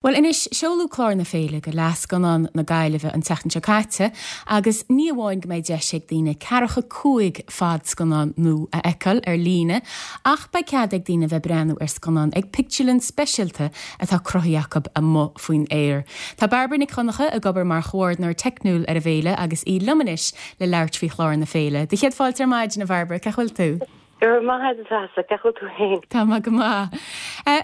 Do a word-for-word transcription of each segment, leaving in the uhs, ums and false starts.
Bhuel anois, seoladh clár na féile do Fhleadh Scannán na Gaillimhe an tseachtain seo caite agus ní amháin go mbeidh deis ag daoine ceathracha cúig fadscannán nua a fheiceáil ar líne ach beidh cead ag daoine bheith breathnú ar scannán ag pictiúrlann speisialta atá cruthaithe acu amuigh faoin aer. Tá Bairbre Nic Dhonncha ag obair mar chomhordaitheoir teicniúil ar an bhféile agus í liom anois le labhairt faoi chlár na féile. Do chéad fáilte ar maidin, a Bhairbre, cén chaoi a bhfuil tú? Go raibh maith agat, cén chaoi a bhfuil tú féin? Tá mé go maith.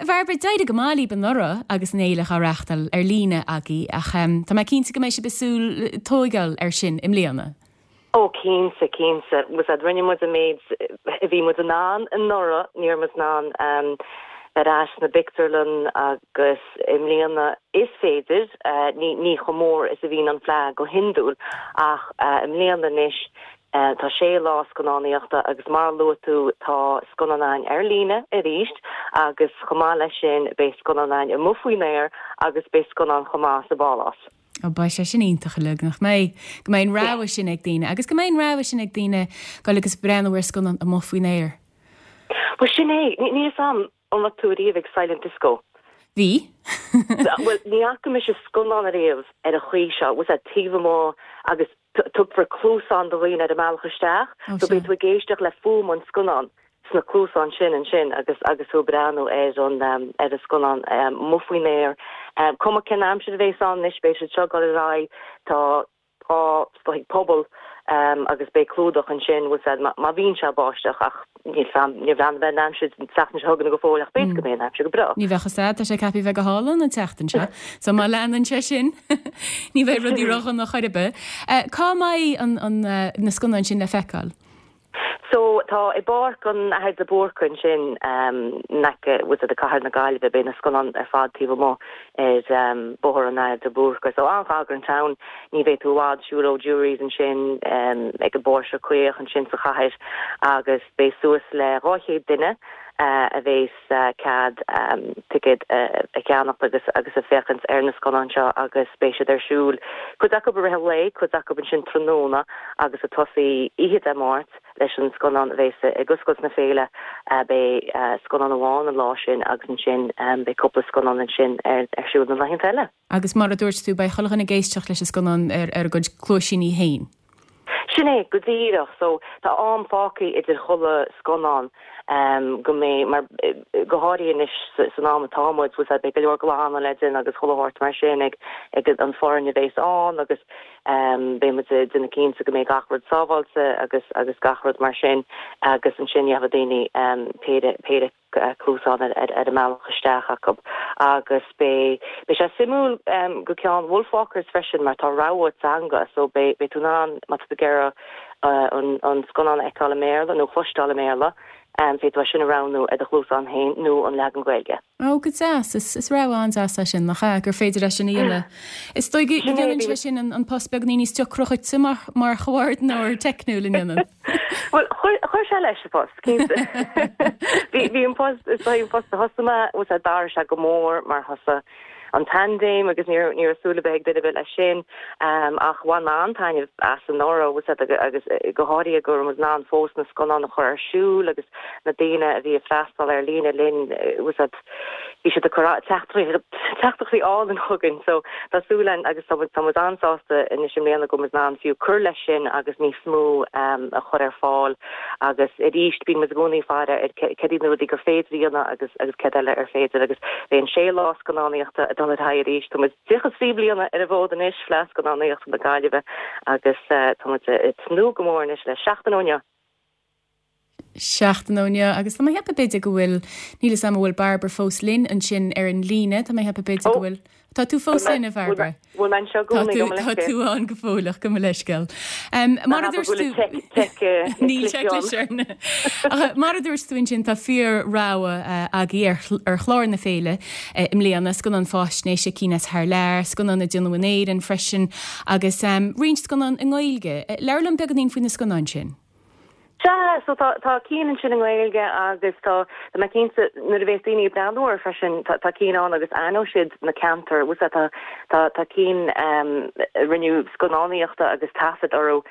Bhairbre, d'éirigh go maith libh anuraidh agus an fhéile á reáchtáil ar líne agaibh ach tá mé cinnte go mbeidh sibh ag súil tógáil ar sin i mbliana. Ó cinnte cinnte was rinne muid an méid a bhí muid in ann anuraidh ní raibh muid in ann bheith ar ais sna pictiúrlanna agus i mbliana is féidir ní ní chomh mór is a bhíonn an Fleadh go hiondúil ach i mbliana anois Tá sé lá scannánaíochta agus mar a luaigh tú tá scannáin ar líne arís agus chomh maith leis sin beidh scannáin amuigh faoin aer agus beidh scannán chomh maith sa bpálás. Ó beidh sé sin iontach uilig nach mbeidh go mbeidh an rogha sin ag daoine agus go mbeidh an rogha sin ag daoine dul agus breathnú ar scannán amuigh faoin aer. Well sin é ní am an raibh tú riamh ag Silent Disco. Bhí? Well ní fhaca mise scannán riamh ar an chaoi seo, was taobh amuigh agus tugtar cluasáin do dhaoine ar an mbealach isteach, so beidh tú ag éisteacht le fuaim an scannán sna cluasáin sin ansin agus agus tú breathnú ar an um, ar an scannán um, amuigh faoin aer. Um, Cuma cén aimsir a bheas ann anois beidh siad seo ag dul ar aghaidh tá tá ag pobal um, agus beidh clúdach ansin was má, má bhíonn sé báisteach ach níl ní bhean bheith aimsir seachtain seo chugainn go fóill ach b'fhéidir go mbeidh an aimsir go breá. Ní bheadh sé tá sé ceaptha bheith go hálainn an tseachtain seo, so má leanann sé sin ní bheidh rudaí ródhona chor ar bith. Cá mbeidh an, an, na scannáin sin le feiceáil? So tá i bPáirc an Athar de Búrca ansin um, naice was de cathair na Gaillimhe beidh na scannáin ar fad taobh amuigh ar um, Bóthar an Athar de Búrca. So an-ghar don town ní bheidh tú i bhfad siúl ó Jurys ansin um, ag an bPóirse Caoch ansin sa chathair agus beidh suas le dhá chéad duine uh, a bheas uh, cead um, ticket uh, a cheannach agus agus a féachaint ar na scannáin seo agus beidh siad ar siúl. Cuid acu i rith an lae, cuid acu ansin tráthnóna agus ag tosú oíche Dé Máirt leis an scannán a bheas ag oscailt na féile beidh scannán amháin an lá sin agus ansin beidh cúpla scannán ansin ar ar siúl na laethanta eile. Agus mar a dúirt tú beidh chuile dhuine ag éisteacht leis an scannán ar ar a gcuid cluaisíní féin. Sin é go díreach so tá am fágtha idir chuile scannán um, go mé mar go háirithe anois san am atá muid beidh go leor glanadh le déanamh agus chuile shórt mar sin ag ag an bhfoireann a bheas ann agus um, beidh duine cinnte go mbeidh gach rud sábháilte agus agus gach rud mar sin agus ansin gheobhaidh daoine um, péire péire cluasán ar ar ar an mbealach isteach acu agus beidh beidh sé suimiúil um, go ceann Wolfwalkers freisin mar tá rogha teanga so beidh beidh tú in ann má tá tú uh, an, an scannán a fheiceáil i mBéarla nó cloisteáil i mBéarla um, féadfaidh tú sin a roghnú ar do chluasán féin nó an leagan Gaeilge. Ó go deas is is rogha an-deas é sin nach ea gur féidir leis sin a dhéanamh. Is dóigh go ndéanann sé sin an, an post beag níos deacra duitse mar mar chomhordaitheoir teicniúil an ndéanann. Well chuir sé leis an post Bhí an post is an post a thosaigh mé was a dar sé go mór mar thosaigh an paindéim agus ní ní súla bheith duine leis sin um, ach bhain mé an-taitneamh as anuraidh was agus go háirithe go raibh muid in ann fós na scannáin a chur ar siúl agus na daoine a bhí ag freastal ar líne linn was bhí siad teachtaireachtaí álainn chugainn so tá súil againn agus tá an-sásta anois i mbliana go mbeidh muid in ann fiú cur leis sin agus níos mó um, a chur ar fáil agus arís bíonn muid i gcónaí ag faire ar cad iad na rudaí gur féidir a dhéanamh agus agus cad eile ar féidir agus beidh an sé lá scannánaíochta ag dul ar aghaidh arís Tá tríocha trí bliana ar an bhfód anois Fleadh Scannánaíochta na Gaillimhe agus uh, tá tnúth go mór anois le seachtain ó inniu. seachtain ó inniu agus tá mé ag ceapadh b'fhéidir go bhfuil níl am bhfuil Bairbre fós linn ansin ar an líne Tá mé ag ceapadh b'fhéidir go bhfuil Tá tú fós linn a Bhairbre Tá tú an go fóilleach go leisceil. Mar a dúirt tú Níl Mar a dúirt tú ansin tá fíor-rogha agaibh ar chlár na féile i mbliana scannán faisnéise cinn as thar lear, scannán a déanadh in Éirinn freisin agus um, roinnt scannán i nGaeilge. Labhair liom beagáinín faoi na scannáin sin. Sea so tá tá cinn ansin i nGaeilge agus tá tá mé cinnte nuair a bheas daoine ag breathnú freisin tá tá cinn ann agus aithneoidh siad na ceantair tá tá tá cinn um, rinneadh scannánaíochta agus taifead orthu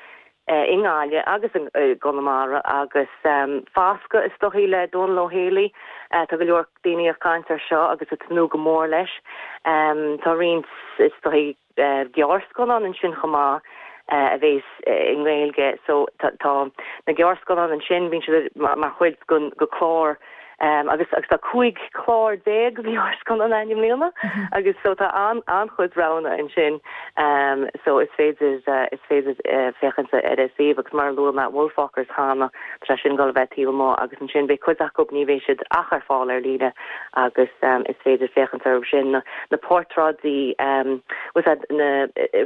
i nGaillimh agus i gConamara agus Fascadh is dóichí le Dónal Ó Héalaí. Tá go leor daoine ag caint air seo agus ag tnúth go mór leis. Tá roinnt is dóichí gearrscannán ansin chomh maith a bheas i nGaeilge so tá na gearrscannáin ansin bíonn siad mar chuid den chlár agus agus tá cúig chlár déag gearrscannán ann i mbliana agus so tá an an-chuid roghanna ansin so is féidir is féidir féachaint ar an suíomh agus mar a luaigh mé Wolfwalkers cheana tá sin ag gabháil a bheith taobh amuigh agus ansin beidh cuid acu ní bheidh siad ach ar fáil ar líne agus is féidir féachaint orthu sin na na portráidí na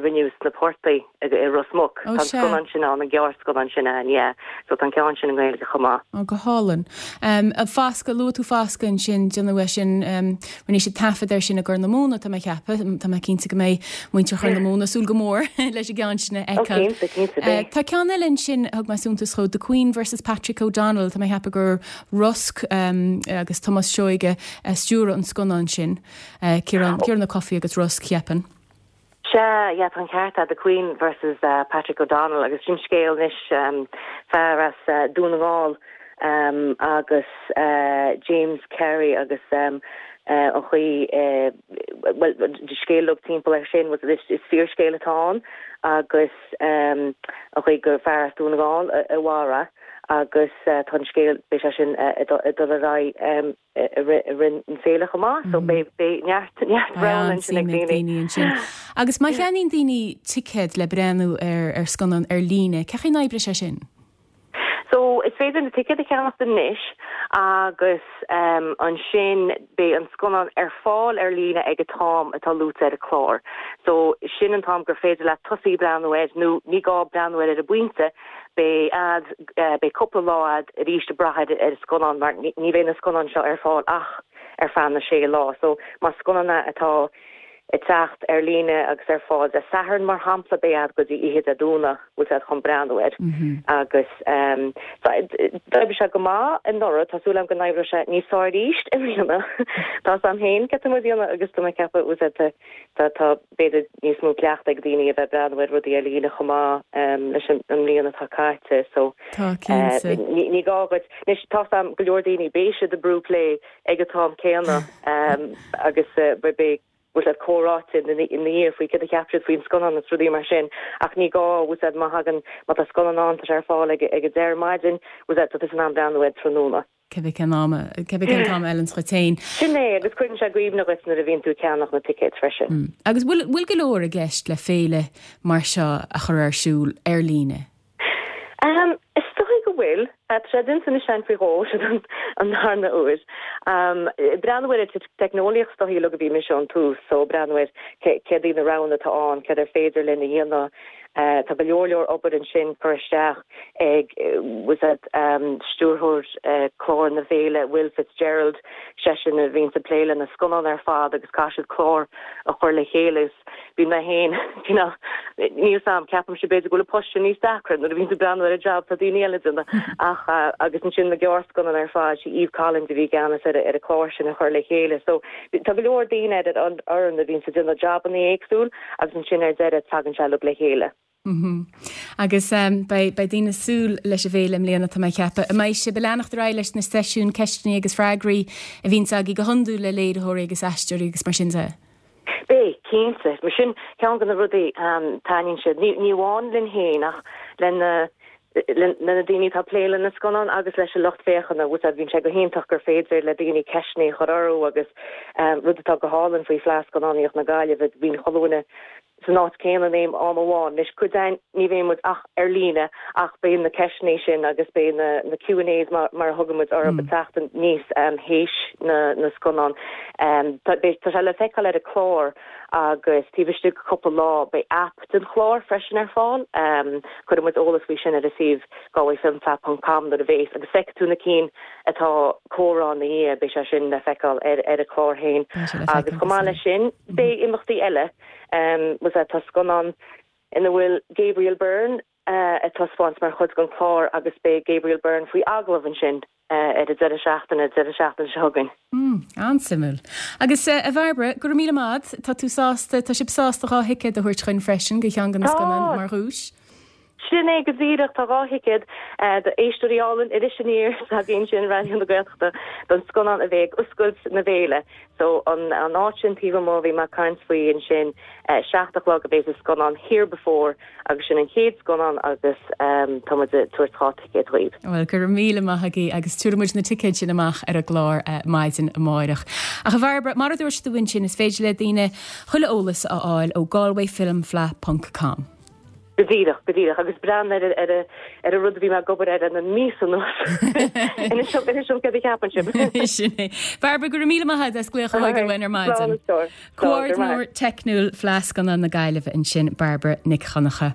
rinneadh sna portaigh i Ros Muc Tá scannán sin ann an gearrscannán sin ann yeah so tá an ceann sin i nGaeilge chomh maith. Ó go hálainn. Um, Fascadh luaigh tú Fascadh ansin déanadh é sin um, rinne siad taifead air sin i gCorr na Móna tá mé ag ceapadh tá mé cinnte go mbeidh muintir Chorr na Móna ag súil go mór leis an gceann sin a fheiceáil. Uh, tá ceann eile ansin thug mé suntas dó The Queen versus Patrick O'Donnell tá mé ag ceapadh gur Rosc um, agus Tomás Seoige uh, stiúradh an scannán sin uh, Ciarán Ciarán Ó Cofaigh agus Rosc cheapaim. Sea, yeah, tá an ceart The Queen versus uh, Patrick O'Donnell agus sin scéal anois um, fear as uh, Dún na nGall um, agus uh, James Carey agus um, uh, an chaoi uh, well scéal timpeall air sin was is, is fíorscéal atá ann agus um, an chaoi gur fear as Dún na nGall a mharaigh agus uh, tá scéal be sin uh, dul ar aghaidh um, rin an féile chomh maith so beidh beidh neart neart rogha ansin ag daoine ansin. Agus má cheannaíonn daoine ticéad le breathnú ar ar scannán ar líne, cén chaoi a n-oibreoidh sé sin? So is féidir na ticéid a cheannach anois agus um, ansin beidh an scannán ar fáil ar líne ag an t-am atá luaite ar an chlár. So sin an t-am gur féidir le tosaí breathnú air nó ní gá breathnú air ar an bpointe beidh agat uh, beidh cúpla lá agat arís le brath ar ar scannán mar ní bheidh na scannáin seo ar fáil ach ar feadh na sé lá. So má scannán atá ag teacht ar líne agus ar fáil Dé Sathairn mar shampla beidh agat go dtí oíche Dé Domhnaigh bhfuil sé chun breathnú air mm -hmm. agus um, d'oibrigh sé go maith anuraidh tá súil agam go n-oibreoidh sé níos fearr arís i mbliana Tá sam féin ce déana agus tú cepa ús tá tá b'fhéidir níos mó cleachtadh ag daoine a bheith breathnú ar rudaí ar líne chomh maith um, leis an mbliain atá caite so uh, ní gá anois tá sam go leor daoine beidh siad ag brú play ag an t-am céanna um, agus uh, be bhfuil siad comhráite ina dhiaidh faoi cad a cheap siad faoin scannán is rudaí mar sin ach ní gá bhfuil má thagann má tá scannán ann tá ar fáil ag ag a deich ar maidin bhfuil tá in ann breathnú air tráthnóna. Cibé cén am cibé cén t-am a fheileann duit féin. Sin é agus cuireann sé i gcuimhne duit nuair a bhíonn tú ag ceannach na ticéid freisin. Mm. Agus bhfuil bhfuil go leor i gceist le féile mar seo a chur ar siúl ar líne. Um, is dóigh go bhfuil sé déanta againn faoi dhó an an darna huair. Um, breathnú ar teicneolaíocht is dóigh a bhí mise ón tús, so breathnú ar céard iad na roghanna atá ann, céard ar féidir linn a dhéanamh Uh, tá go leor leor obair ansin curtha isteach ag was that um, stiúrthóir uh, clár na féile Will Fitzgerald seisean a bhíonn ag plé leis na scannáin ar fad agus caithfidh siad clár a chur le chéile bhí mé féin níl sam ceapaim sé b'fhéidir go bhfuil post níos deacra nuair a bhíonn tú breathnú ar an job tá daoine eile déanamh ach uh, agus ansin na gearrscannáin ar fad sí Eve Collins a bhí i gceannas ar ar an chlár sin a chur le chéile so tá go leor daoine ar an fhoireann a bhíonn ag déanamh jabanna éagsúil agus ansin ar deireadh tagann sé le chéile. Mm -hmm. Agus um, beidh daoine ag súil leis an bhféile i mbliana tá mé ag ceapadh. An mbeidh sibh ag leanacht ar aghaidh leis na seisiúin ceisteanna agus freagraí a bhíonn agaibh go hiondúil le léiritheoirí agus aisteoirí agus mar sin de. Beidh cinnte mar sin ceann de na rudaí um, taitníonn siad ní ní amháin linn féin ach le na na daoine atá ag plé leis na scannáin agus leis an lucht féachana bhfuil bíonn sé go hiontach gur féidir le daoine ceisteanna a chur orthu agus um, rud atá go hálainn faoi Fleadh Scannánaíocht na Gaillimhe bíonn chuile dhuine san áit céanna in am amháin leis cuid ní bheidh muid ach ar líne ach beidh na ceisteanna sin agus beidh na na Q and A's mar, mar thugaimid orthu mm. teacht níos um, théis na, na scannán. Um, tá sé le feiceáil ar an chlár agus taobh istigh cúpla lá beidh app den chlár freisin ar fáil um, cuirfidh muid eolas faoi sin ar an suíomh galwayfilmfleadh.com nuair a bheas agus feicfidh tú na cinn atá comhrá na beidh sé sin le feiceáil ar ar an chlár féin agus chomh maith leis sin beidh imeachtaí eile um, was tá scannán ina bhfuil Gabriel Byrne uh, ag taispeáint mar chuid den chlár agus beidh Gabriel Byrne faoi agallamh ansin uh, ar an deireadh seachtaine deireadh seachtaine seo chugainn. Mm, an-suimiúil. Agus uh, a Bhairbre go raibh míle maith agat, tá tú sásta tá sibh sásta dhá thicéad a thabhairt chugainn freisin go cheann de na scannáin mar dhuais. Sin é go díreach tá dhá thicéad d'éisteoirí álainn Iris Aniar s'againn sin Raidió na Gaeltachta don scannán a bheidh ag oscailt na féile. So an an áit sin taobh amuigh bhí mé ag caint faoi ansin seacht a chlog a bheidh an scannán Here Before agus sin an chéad scannán agus tá muid ag tabhairt dhá ticéad dhaoibh. Bhuel go raibh míle maith agaibh agus tabharfaidh muid na ticéid sin amach ar an gclár maidin amárach. Ach a Bhairbre, mar a dúirt tú ansin is féidir le daoine chuile eolas a fháil ó galwayfilmfleadh ponc com. Go díreach, go díreach, agus breathnú ar ar ar an rud a bhí mé ag obair air na míosa anuas. Inis dom inis dom céard a cheapann sibh. Sin é. Bairbre, go raibh míle maith agat as glaoch a thógáil uainn ar maidin. Comhordinóir teicniúil Fleadh Scannán na Gaillimhe ansin Bairbre Nic Dhonncha.